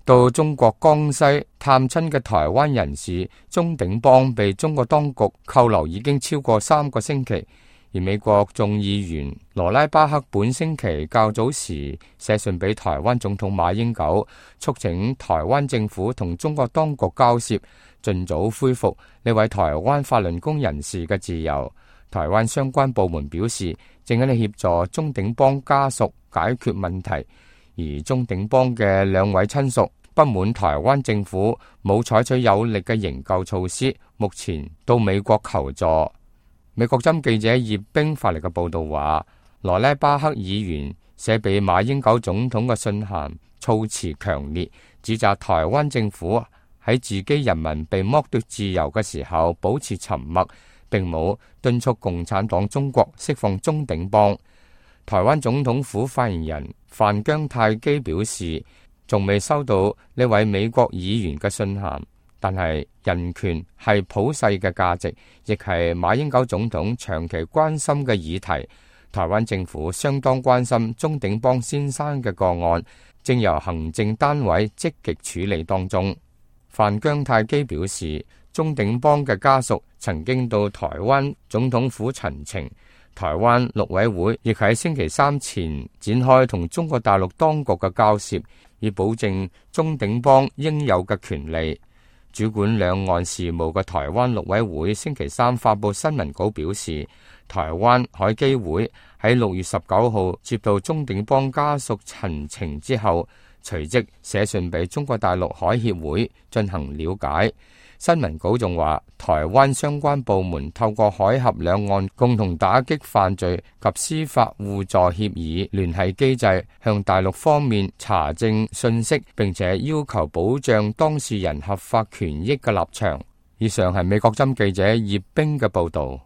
到中國江西探親嘅台灣人士鍾鼎邦被中國當局扣留已經超過3個星期，而美國眾議員羅拉巴克本星期較早時寫信俾台灣總統馬英九，促請台灣政府同中國當局交涉，盡早恢復呢位台灣法輪功人士嘅自由。台灣相關部門表示，正喺度協助鍾鼎邦家屬解決問題。而鍾鼎邦嘅2位親屬不滿台灣政府冇採取有力嘅營救措施，目前到美國求助。美國針記者葉冰發嚟嘅報道話，羅拉巴克議員寫俾馬英九總統嘅信函措辭強烈，指責台灣政府喺自己人民被剝奪自由嘅時候保持沉默，並冇敦促共產黨中國釋放鍾鼎邦。台灣總統府發言人范姜泰基表示，仲未收到呢位美國議員嘅信函，但係人權係普世嘅價值，亦係馬英九總統長期關心嘅議題。台灣政府相當關心鍾鼎邦先生嘅個案，正由行政單位積極處理當中。范姜泰基表示，鍾鼎邦嘅家屬曾經到台灣總統府陳情。台灣陸委會亦喺星期3前展開同中國大陸當局嘅交涉，以保證鍾鼎邦應有嘅權利。主管兩岸事務嘅台灣陸委會星期3發佈新聞稿表示，台灣海基會喺6月19號接到鍾鼎邦家屬陳情之後，隨即寫信俾中國大陸海協會進行了解。新聞稿仲話，台灣相關部門透過海峽兩岸共同打擊犯罪及司法互助協議聯繫機制，向大陸方面查證信息，並且要求保障當事人合法權益嘅立場。以上係美國針記者葉冰嘅報道。